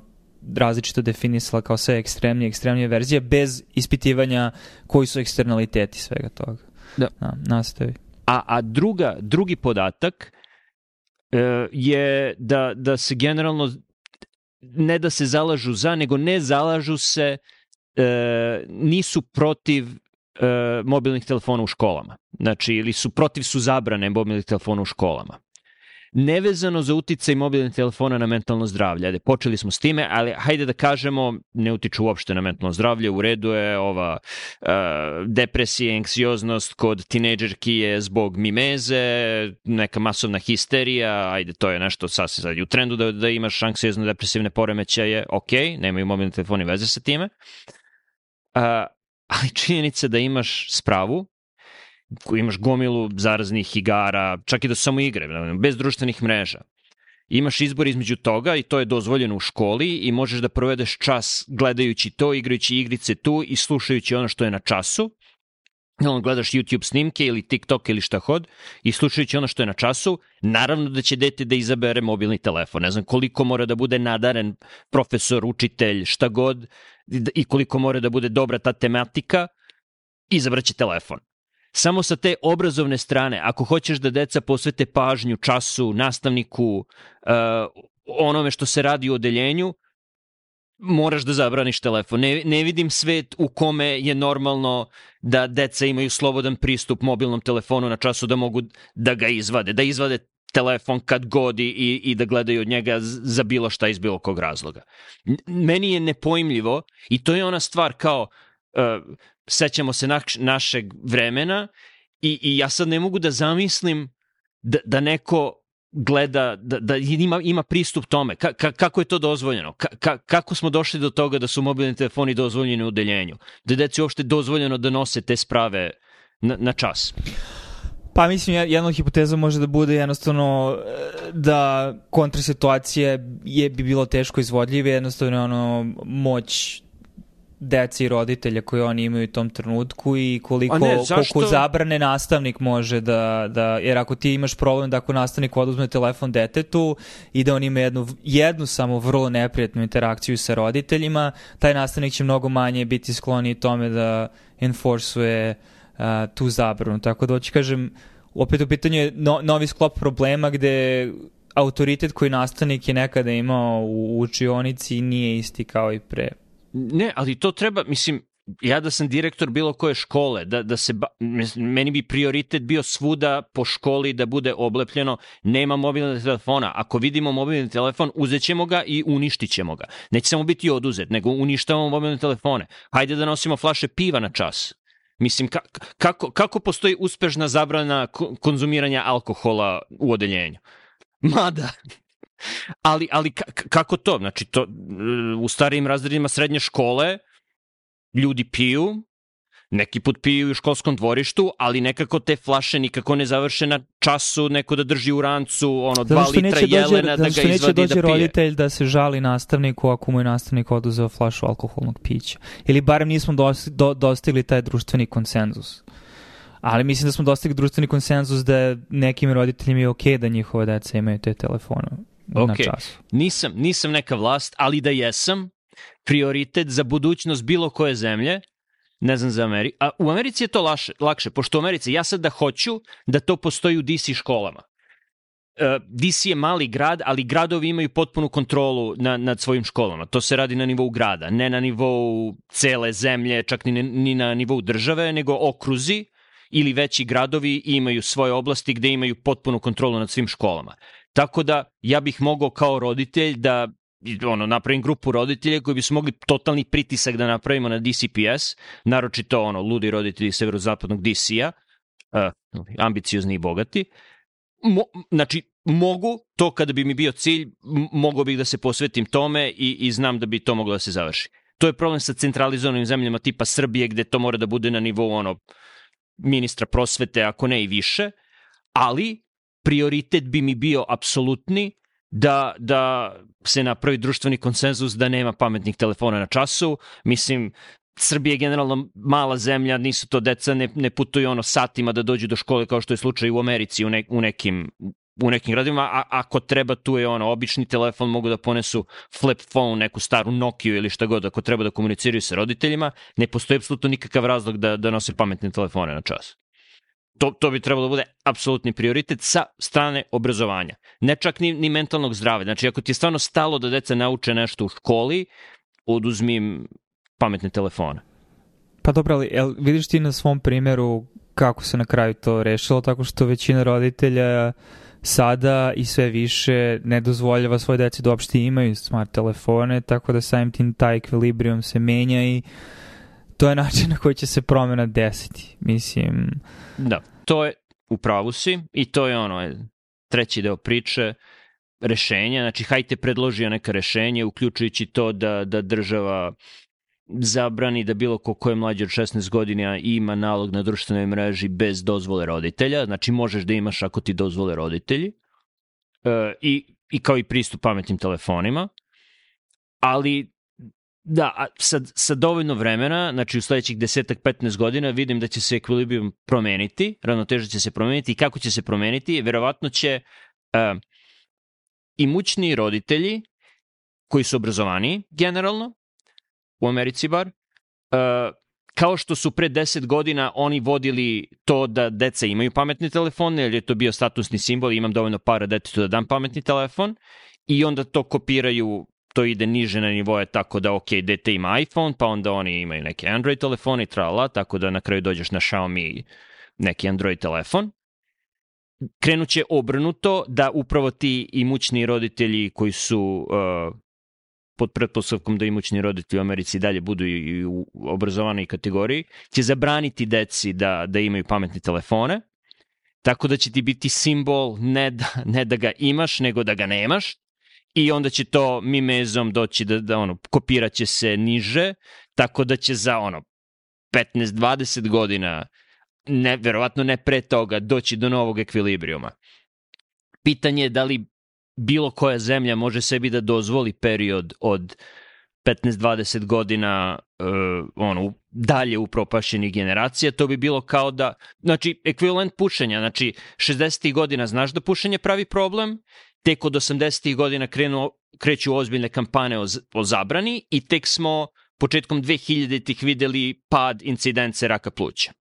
različito definisala kao sve ekstremnije, ekstremnije verzije bez ispitivanja koji su eksternaliteti svega toga. Da. Na, nastavi. A, a druga, drugi podatak e, je da, da se generalno ne da se zalažu za, nego ne zalažu se, e, nisu protiv e, mobilnih telefona u školama. Znači, ili su protiv su zabrane mobilnih telefona u školama. Nevezano za uticaj mobilnih telefona na mentalno zdravlje. Ajde, počeli smo s time, ali hajde da kažemo, ne utiču uopšte na mentalno zdravlje, u redu je ova uh, depresija, anksioznost kod tinejdžerki je zbog mimeze, neka masovna histerija, ajde, to je nešto sasvim sad u trendu da, da imaš anksiozno depresivne poremećaje, ok, nemaju mobilni telefoni veze sa time, uh, ali činjenica da imaš spravu, koji imaš gomilu zaraznih igara, čak i da su samo igre, bez društvenih mreža. Imaš izbor između toga i to je dozvoljeno u školi i možeš da provedeš čas gledajući to, igrajući igrice tu i slušajući ono što je na času. Gledaš YouTube snimke ili TikTok ili šta god i slušajući ono što je na času, naravno da će dete da izabere mobilni telefon. Ne znam koliko mora da bude nadaren profesor, učitelj, šta god i koliko mora da bude dobra ta tematika, izabraće telefon. Samo sa te obrazovne strane, ako hoćeš da deca posvete pažnju času, nastavniku, uh, onome što se radi u odeljenju, moraš da zabraniš telefon. Ne, ne vidim svet u kome je normalno da deca imaju slobodan pristup mobilnom telefonu na času da mogu da ga izvade, da izvade telefon kad god i, i da gledaju od njega za bilo šta iz bilo kog razloga. Meni je nepojmljivo i to je ona stvar kao uh, sećamo se naš, našeg vremena i, i ja sad ne mogu da zamislim da, da neko gleda, da, da ima, ima pristup tome. Ka, ka, kako je to dozvoljeno? Ka, ka, kako smo došli do toga da su mobilni telefoni dozvoljeni u odeljenju? Da je deci uopšte dozvoljeno da nose te sprave na, na čas? Pa mislim, jedna od hipoteza može da bude jednostavno da kontrasituacije je bi bilo teško izvodljive, jednostavno ono moć dece i roditelja koje oni imaju u tom trenutku i koliko, ne, koliko zabrane nastavnik može da, da, jer ako ti imaš problem da ako nastavnik oduzme telefon detetu i da on ima jednu, jednu samo vrlo neprijatnu interakciju sa roditeljima, taj nastavnik će mnogo manje biti skloniji tome da enforcuje uh, tu zabranu. Tako da hoću kažem, opet u pitanju je no, novi sklop problema gde autoritet koji nastavnik je nekada imao u učionici nije isti kao i pre. Ne, ali to treba, mislim, ja da sam direktor bilo koje škole, da, da se, ba, meni bi prioritet bio svuda po školi da bude oblepljeno, nema mobilnog telefona. Ako vidimo mobilni telefon, uzet ćemo ga i uništit ćemo ga. Neće samo biti oduzet, nego uništavamo mobilne telefone. Hajde da nosimo flaše piva na čas. Mislim, ka, kako, kako postoji uspešna zabrana konzumiranja alkohola u odeljenju? Mada... Ali, ali kako to? Znači, to, u starijim razredima srednje škole ljudi piju, neki put piju u školskom dvorištu, ali nekako te flaše nikako ne završe na času, neko da drži u rancu, ono, dva litra jelena da ga izvadi da pije. Zato što neće dođe roditelj da se žali nastavniku ako mu je nastavnik oduzeo flašu alkoholnog pića. Ili barem nismo dostigli taj društveni konsenzus. Ali mislim da smo dostigli društveni konsenzus da nekim roditeljima je okej da njihove deca imaju te telefone. Okay. Nisam, nisam neka vlast, ali da jesam, prioritet za budućnost bilo koje zemlje, ne znam za Ameriku, a u Americi je to laše, lakše, pošto u Americi ja sad da hoću da to postoji u D C školama. Uh, D C je mali grad, ali gradovi imaju potpunu kontrolu na, nad svojim školama. To se radi na nivou grada, ne na nivou cele zemlje, čak ni, ni na nivou države, nego okruzi ili veći gradovi imaju svoje oblasti gde imaju potpunu kontrolu nad svim školama. Tako da ja bih mogao kao roditelj da ono, napravim grupu roditelja koji bi su mogli totalni pritisak da napravimo na D C P S, naročito ono, ludi roditelji severozapadnog D C-a, uh, ambiciozni i bogati. Mo, znači, mogu, to kada bi mi bio cilj, mogao bih da se posvetim tome i, i znam da bi to moglo da se završi. To je problem sa centralizovanim zemljama tipa Srbije, gde to mora da bude na nivou ono, ministra prosvete, ako ne i više, ali prioritet bi mi bio apsolutni da, da se napravi društveni konsenzus da nema pametnih telefona na času. Mislim, Srbija je generalno mala zemlja, nisu to deca, ne, ne putuju ono satima da dođu do škole kao što je slučaj u Americi u, ne, u nekim u nekim gradima, a ako treba tu je ono obični telefon, mogu da ponesu flip phone, neku staru Nokiju ili šta god, ako treba da komuniciraju sa roditeljima, ne postoji apsolutno nikakav razlog da, da nose pametne telefone na čas. To, to bi trebalo da bude apsolutni prioritet sa strane obrazovanja. Ne čak ni, ni mentalnog zdravlja. Znači, ako ti je stvarno stalo da deca nauče nešto u školi, oduzmi im pametne telefone. Pa dobro, ali jel, vidiš ti na svom primjeru kako se na kraju to rešilo, tako što većina roditelja sada i sve više ne dozvoljava svoje deci da uopšte imaju smart telefone, tako da samim tim taj ekvilibrijum se menja i to je način na koji će se promjena desiti. Mislim... Da, to je u pravu si i to je ono, treći deo priče, rešenja. Znači, hajte predložio neka rešenje, uključujući to da, da država zabrani da bilo ko ko je mlađi od šesnaest godina ima nalog na društvenoj mreži bez dozvole roditelja. Znači, možeš da imaš ako ti dozvole roditelji. E, i, i kao i pristup pametnim telefonima. Ali da, sa, sa dovoljno vremena, znači u sledećih desetak petnaest godina vidim da će se ekvilibrijum promeniti, ravnoteža će se promeniti i kako će se promeniti, verovatno će uh, imućni roditelji koji su obrazovaniji generalno, u Americi bar, uh, kao što su pre deset godina oni vodili to da deca imaju pametne telefone, jer je to bio statusni simbol, imam dovoljno para detetu da dam pametni telefon, i onda to kopiraju, to ide niže na nivoje tako da ok, dete ima iPhone, pa onda oni imaju neke Android telefone i trala, tako da na kraju dođeš na Xiaomi neki Android telefon. Krenut će obrnuto da upravo ti imućni roditelji koji su uh, pod pretpostavkom da imućni roditelji u Americi dalje budu i u obrazovanoj kategoriji, će zabraniti deci da, da imaju pametne telefone tako da će ti biti simbol ne da, ne da ga imaš, nego da ga nemaš, i onda će to mimezom doći da, da ono, kopirat će se niže, tako da će za ono petnaest dvadeset godina, ne, verovatno ne pre toga, doći do novog ekvilibrijuma. Pitanje je da li bilo koja zemlja može sebi da dozvoli period od petnaest dvadeset godina uh, ono, dalje upropašenih generacija. To bi bilo kao da, znači, ekvivalent pušenja, znači, šezdesetih godina znaš da pušenje pravi problem, tek od osamdesetih godina krenu, kreću ozbiljne kampane o, o zabrani i tek smo početkom dvehiljaditih videli pad incidence raka pluća.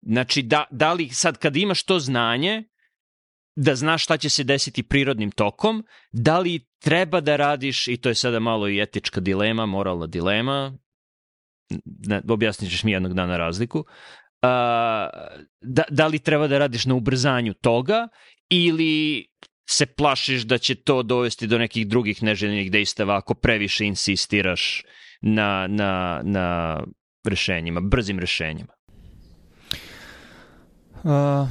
Znači, da, da li sad kad imaš to znanje, da znaš šta će se desiti prirodnim tokom, da li treba da radiš, i to je sada malo i etička dilema, moralna dilema, ne, objasnit ćeš mi jednog dana razliku, uh, da, da li treba da radiš na ubrzanju toga ili se plašiš da će to dovesti do nekih drugih neželjenih dejstava ako previše insistiraš na, na, na rešenjima, brzim rešenjima? Uh...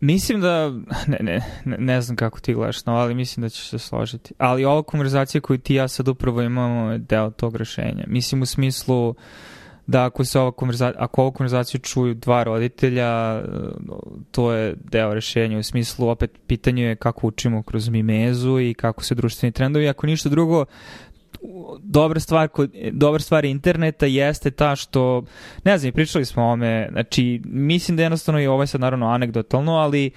Mislim da, ne, ne, ne znam kako ti gledaš, no, ali mislim da ćeš se složiti. Ali ova konverzacija koju ti ja sad upravo imamo je deo tog rešenja. Mislim u smislu da ako se ova konverzacija, ako ovu konverzaciju čuju dva roditelja, to je deo rešenja. U smislu, opet, pitanje je kako učimo kroz mimezu i kako se društveni trendovi. Ako ništa drugo, dobra stvar, dobra stvar interneta jeste ta što, ne znam, pričali smo o ovome, znači, mislim da jednostavno je ovo sad naravno anegdotalno, ali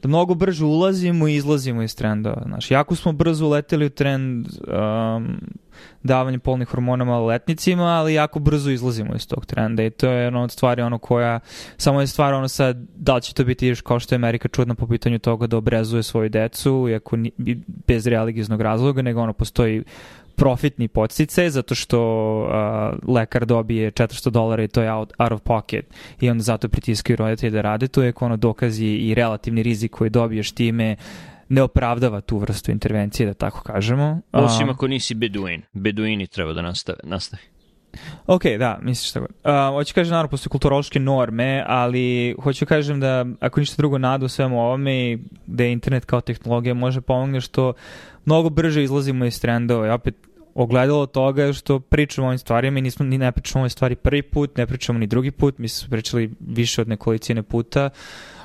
da mnogo brže ulazimo i izlazimo iz trendova. Znači, jako smo brzo uleteli u trend um, davanja polnih hormona maloletnicima, ali jako brzo izlazimo iz tog trenda i to je ono od stvari ono koja, samo je stvar ono sad, da li će to biti još kao što je Amerika čudna po pitanju toga da obrezuje svoju decu, iako ni, bez religijznog razloga, nego ono postoji profitni podsticaj, zato što uh, lekar dobije četiristo dolara i to je out, out of pocket i onda zato pritiskaju roditelji da rade. To je ono dokazi i relativni rizik koji dobiješ time ne opravdava tu vrstu intervencije, da tako kažemo. Osim um, ako nisi beduin. Beduini treba da nastave, nastavi. Ok, da, misliš tako. Uh, hoću kažem, naravno, postoje kulturološke norme, ali hoću kažem da ako ništa drugo nadu u svemu ovome, da je internet kao tehnologija može pomogne što mnogo brže izlazimo iz trendova i opet ogledalo toga je što pričamo o ovim stvarima i nismo, ni ne pričamo o ovim stvari prvi put, ne pričamo ni drugi put, mi smo pričali više od nekolicine puta.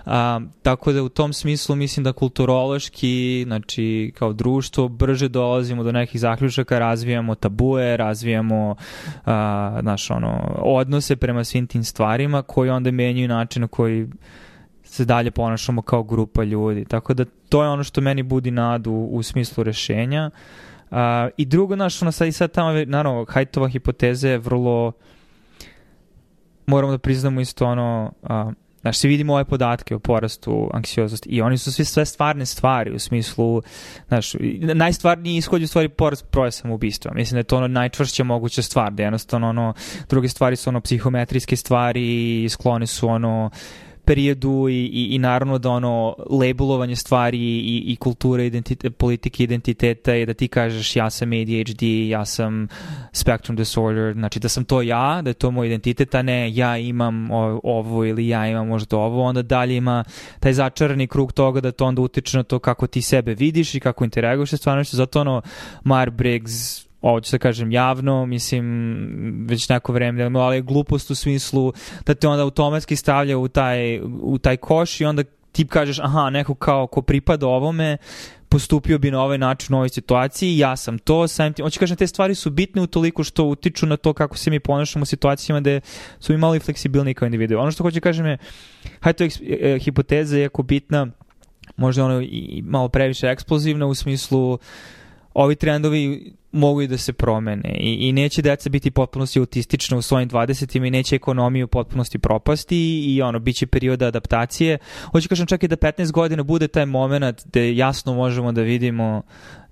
A, tako da u tom smislu mislim da kulturološki, znači kao društvo, brže dolazimo do nekih zaključaka, razvijamo tabue, razvijamo a, naš, ono, odnose prema svim tim stvarima koji onda menjaju način na koji se dalje ponašamo kao grupa ljudi. Tako da to je ono što meni budi nadu u smislu rešenja. Uh, I drugo, znaš, ono sad i sad tamo, naravno, Haidtova hipoteza je vrlo, moramo da priznamo isto ono, uh, znaš, svi vidimo ove podatke o porastu anksioznosti i oni su svi sve stvarne stvari u smislu, znaš, najstvarniji ishod je u stvari porast broja samoubistva. Mislim da je to ono najčvršća moguća stvar, da jednostavno ono, druge stvari su ono psihometrijske stvari i skloni su ono periodu i, i, i naravno da ono labelovanje stvari i, i kulture, identitet, politike identiteta je da ti kažeš ja sam A D H D, ja sam spectrum disorder, znači da sam to ja, da je to moj identitet, a ne ja imam ovo ili ja imam možda ovo, onda dalje ima taj začarani krug toga da to onda utiče na to kako ti sebe vidiš i kako interaguješ sa stvarnošću, zato ono Myers-Briggs, ovo ću da kažem javno, mislim, već neko vreme, ali je glupost u smislu da te onda automatski stavlja u taj, u taj koš i onda ti kažeš, aha, neko kao ko pripada ovome, postupio bi na ovaj način u ovoj situaciji, ja sam to, samim tim, hoću kažem, te stvari su bitne utoliko što utiču na to kako se mi ponašamo u situacijama gde su mi malo i fleksibilni kao individu. Ono što hoću kažem je, hajde, to je hipoteza jako bitna, možda ono i malo previše eksplozivna u smislu ovi trendovi mogu i da se promene i, i neće deca biti potpunosti autistična u svojim dvadesetima i neće ekonomiju u potpunosti propasti i, i ono, bit će perioda adaptacije. Hoću kažem čak i da petnaest godina bude taj moment gde jasno možemo da vidimo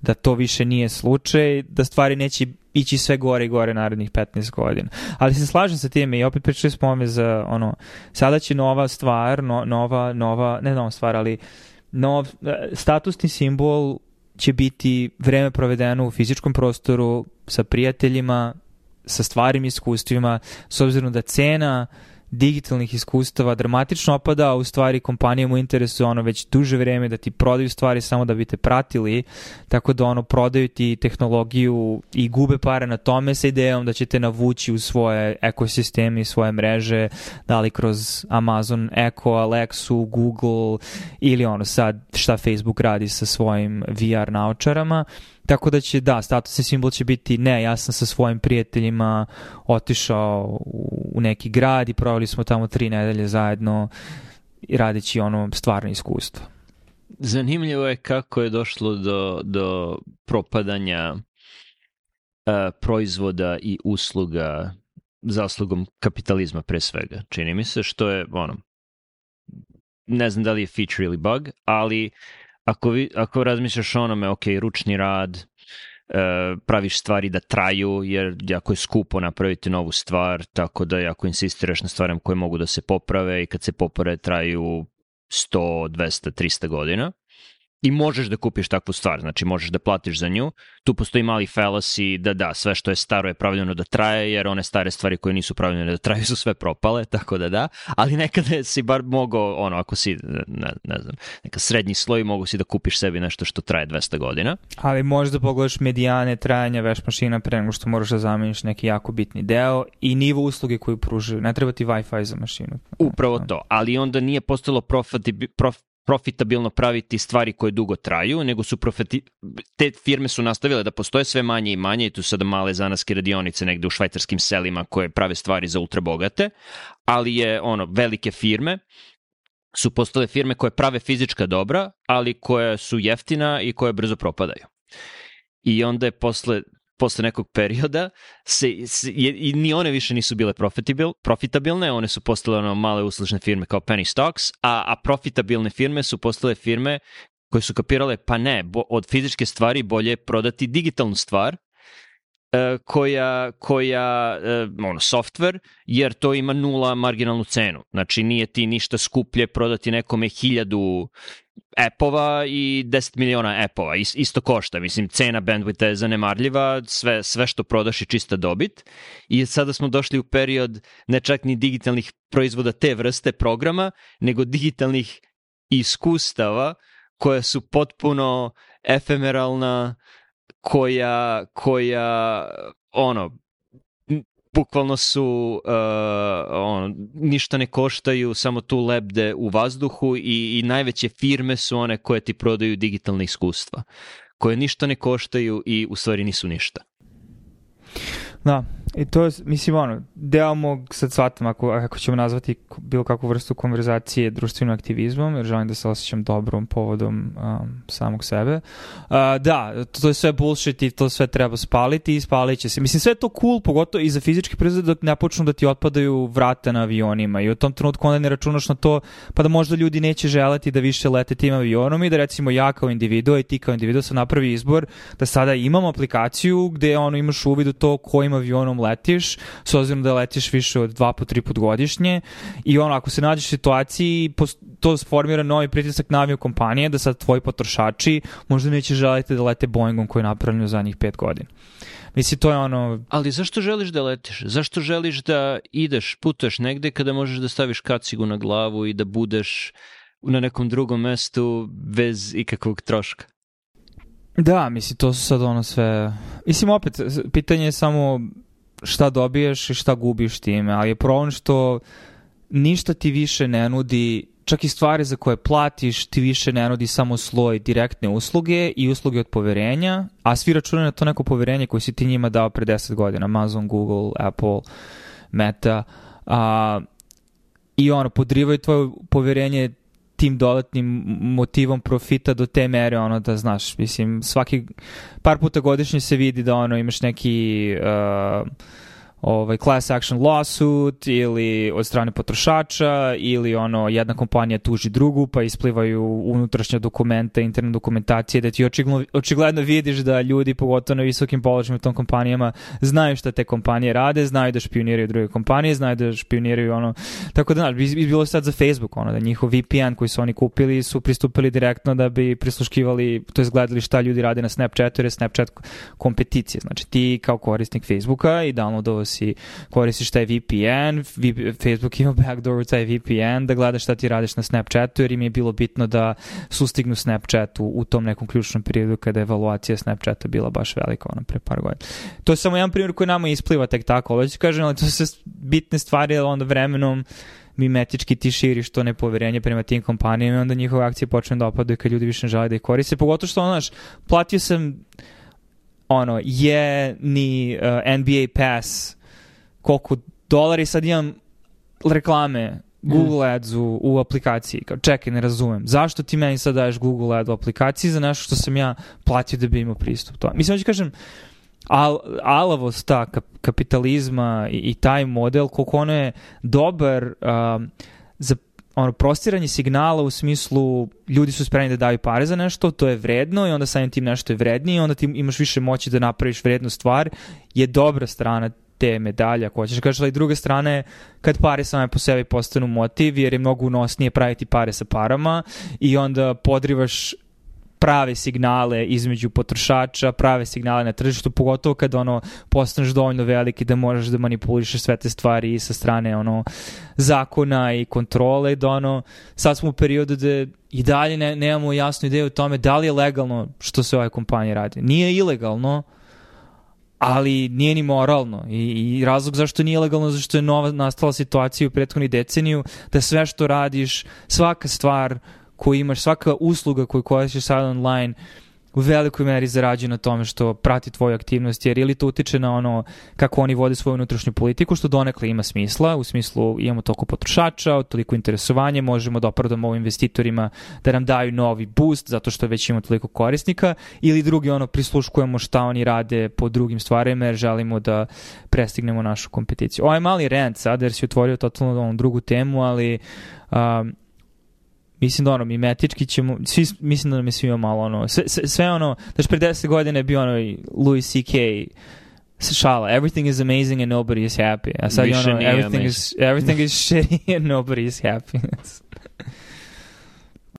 da to više nije slučaj, da stvari neće ići sve gore i gore narednih petnaest godina. Ali se slažem sa time i opet pričali smo ome za ono, sada će nova stvar, no, nova, nova, ne nova stvar, ali nov statusni simbol će biti vreme provedeno u fizičkom prostoru sa prijateljima, sa stvarnim iskustvima, s obzirom da cena digitalnih iskustava dramatično opada, a u stvari kompanijama u interesu ono već duže vreme da ti prodaju stvari samo da bi te pratili, tako da ono prodaju ti tehnologiju i gube pare na tome sa idejom da će te navući u svoje ekosisteme i svoje mreže, da li kroz Amazon Echo, Alexu, Google ili ono sad šta Facebook radi sa svojim V R naočarama. Tako da će, da, statusni simbol će biti ne, ja sam sa svojim prijateljima otišao u neki grad i proveli smo tamo tri nedelje zajedno radeći ono stvarno iskustvo. Zanimljivo je kako je došlo do, do propadanja uh, proizvoda i usluga zaslugom kapitalizma pre svega. Čini mi se što je, ono, ne znam da li je feature ili bug, ali Ako, vi, ako razmišljaš o onome, ok, ručni rad, e, praviš stvari da traju, jer jako je skupo napraviti novu stvar, tako da ako insistiraš na stvarima koje mogu da se poprave i kad se poprave traju sto, dvesta, trista godina i možeš da kupiš takvu stvar, znači možeš da platiš za nju, tu postoji mali fallacy da da, sve što je staro je pravljeno da traje, jer one stare stvari koje nisu pravljene da traju su sve propale, tako da da, ali nekada si bar mogao, ono, ako si, ne, ne znam, neka srednji sloj, mogu si da kupiš sebi nešto što traje dvesta godina. Ali možeš da pogledaš medijane trajanja veš mašina pre nego što moraš da zameniš neki jako bitni deo i nivo usluge koju pružaju, ne treba ti Wi-Fi za mašinu. Upravo to, ali onda nije postalo profitabilno prof, profitabilno praviti stvari koje dugo traju, nego su profiti... te firme su nastavile da postoje sve manje i manje i tu sada male zanaske radionice negde u švajcarskim selima koje prave stvari za ultrabogate, ali je ono, velike firme su postale firme koje prave fizička dobra, ali koje su jeftina i koje brzo propadaju. I onda je posle posle nekog perioda se, se, je, i ni one više nisu bile profitabil, profitabilne, one su postale ono male uslužne firme kao penny stocks, a, a profitabilne firme su postale firme koje su kapirale, pa ne, bo, od fizičke stvari bolje je prodati digitalnu stvar uh, koja, koja uh, ono, software, jer to ima nula marginalnu cenu. Znači nije ti ništa skuplje prodati nekome hiljadu appova i deset miliona appova, isto košta, mislim, cena bandwidtha je zanemarljiva, sve, sve što prodaš je čista dobit i sada smo došli u period ne čak ni digitalnih proizvoda te vrste programa, nego digitalnih iskustava koja su potpuno efemeralna, koja, koja ono, bukvalno su uh, ono, ništa ne koštaju, samo tu lebde u vazduhu i, i najveće firme su one koje ti prodaju digitalne iskustva, koje ništa ne koštaju i u stvari nisu ništa. Da, i to je, mislim, ono, deo mog, sad shvatam, ako, ako ćemo nazvati bilo kakvu vrstu konverzacije društvenim aktivizmom, jer želim da se osjećam dobrom povodom um, samog sebe. Uh, da, to je sve bullshit i to sve treba spaliti i spalit će se. Mislim, sve je to cool, pogotovo i za fizički proizvod dok ne počnu da ti otpadaju vrata na avionima i u tom trenutku onda ne računaš na to, pa da možda ljudi neće želeti da više lete tim avionom i da recimo ja kao individu i ti kao individu sam napravi izbor da sada imamo aplikaciju gde ono, imaš uvid u to kojim avionom letiš, s obzirom da letiš više od dva po tri put godišnje i ono, ako se nađeš u situaciji, to formira novi pritisak na avio kompanije da sad tvoji potrošači možda neće želiti da lete Boeingom koji je napravljen u zadnjih pet godina. Mislim, to je ono... Ali zašto želiš da letiš? Zašto želiš da ideš, putaš negde kada možeš da staviš kacigu na glavu i da budeš na nekom drugom mestu bez ikakvog troška? Da, mislim, to su sad ono sve... Mislim, opet, pitanje je samo šta dobiješ i šta gubiš time, ali je problem što ništa ti više ne nudi, čak i stvari za koje platiš ti više ne nudi samo sloj direktne usluge i usluge od poverenja, a svi računaju na to neko poverenje koje si ti njima dao pre deset godina, Amazon, Google, Apple, Meta, a, i ono, podrivaju tvoje poverenje tim dodatnim motivom profita do te mere, ono, da znaš, mislim, svaki par puta godišnje se vidi da ono, imaš neki uh, ovaj, class action lawsuit ili od strane potrošača ili ono, jedna kompanija tuži drugu pa isplivaju unutrašnja dokumenta, interne dokumentacije da ti očigledno, očigledno vidiš da ljudi, pogotovo na visokim položajima u tom kompanijama, znaju šta te kompanije rade, znaju da špioniraju druge kompanije, znaju da špioniraju ono, tako da, znaš, bi, bi bilo sad za Facebook, ono, da njihov V P N koji su oni kupili su pristupili direktno da bi prisluškivali, to je gledali šta ljudi rade na Snapchatu, jer je Snapchat kompeticija, znači ti kao korisnik Facebooka i downloadovao si koristiš taj V P N, Facebook ima backdoor u taj V P N, da gledaš šta ti radiš na Snapchatu, jer im je bilo bitno da sustignu Snapchat u, u tom nekom ključnom periodu kada je evaluacija Snapchata bila baš velika, ono, pre par godina. To je samo jedan primjer koji nama ispliva tek tako, ali ću kažem, ali to su sve bitne stvari, ali onda vremenom mimetički ti širiš to nepoverenje prema tim kompanijama i onda njihove akcije počne da opadaju kad ljudi više ne žele da ih koriste. Pogotovo što, znaš, platio sam ono, je ni uh, N B A Pass koliko dolari, sad imam reklame Google mm. Ads u, u aplikaciji. Kao, čekaj, ne razumem. Zašto ti meni sad daješ Google Ad u aplikaciji za nešto što sam ja platio da bi imao pristup to? Mislim, hoću kažem, Al, alavost ta kap, kapitalizma i, i taj model, koliko ono je dobar um, za ono prostiranje signala u smislu ljudi su spremni da daju pare za nešto, to je vredno i onda samim tim nešto je vrednije i onda ti imaš više moći da napraviš vrednu stvar, je dobra strana te medalje, ako hoćeš kažeš, ali druga strana je kad pare same po sebi postanu motiv, jer je mnogo unosnije praviti pare sa parama i onda podrivaš prave signale između potrošača, prave signale na tržištu, pogotovo kad ono postaneš dovoljno veliki da možeš da manipulišeš sve te stvari i sa strane ono zakona i kontrole, da ono sad smo u periodu da i dalje ne, nemamo jasnu ideju o tome da li je legalno što se ove kompanije radi. Nije ilegalno, ali nije ni moralno i, i razlog zašto nije legalno, zašto je nova nastala situacija u prethodnih deceniju da sve što radiš, svaka stvar koju imaš, svaka usluga koju koristiš sad online u velikoj meri zarađuje na tome što prati tvoju aktivnost, jer ili to utiče na ono kako oni vode svoju unutrašnju politiku, što donekle ima smisla, u smislu imamo toliko potrošača, toliko interesovanje, možemo da opravdamo ovim investitorima da nam daju novi boost zato što već imamo toliko korisnika, ili drugi ono prisluškujemo šta oni rade po drugim stvarima jer želimo da prestignemo našu kompeticiju. Ovo je mali rant sad jer si otvorio totalno onu drugu temu, ali um, mislim da ono, mimetički ćemo, svi, mislim da nam je svima malo ono, sve, sve ono, znači pre deset godina je bio ono Louis C K šala, everything is amazing and nobody is happy. A sad je ono, everything is, everything is shitty and nobody is happy.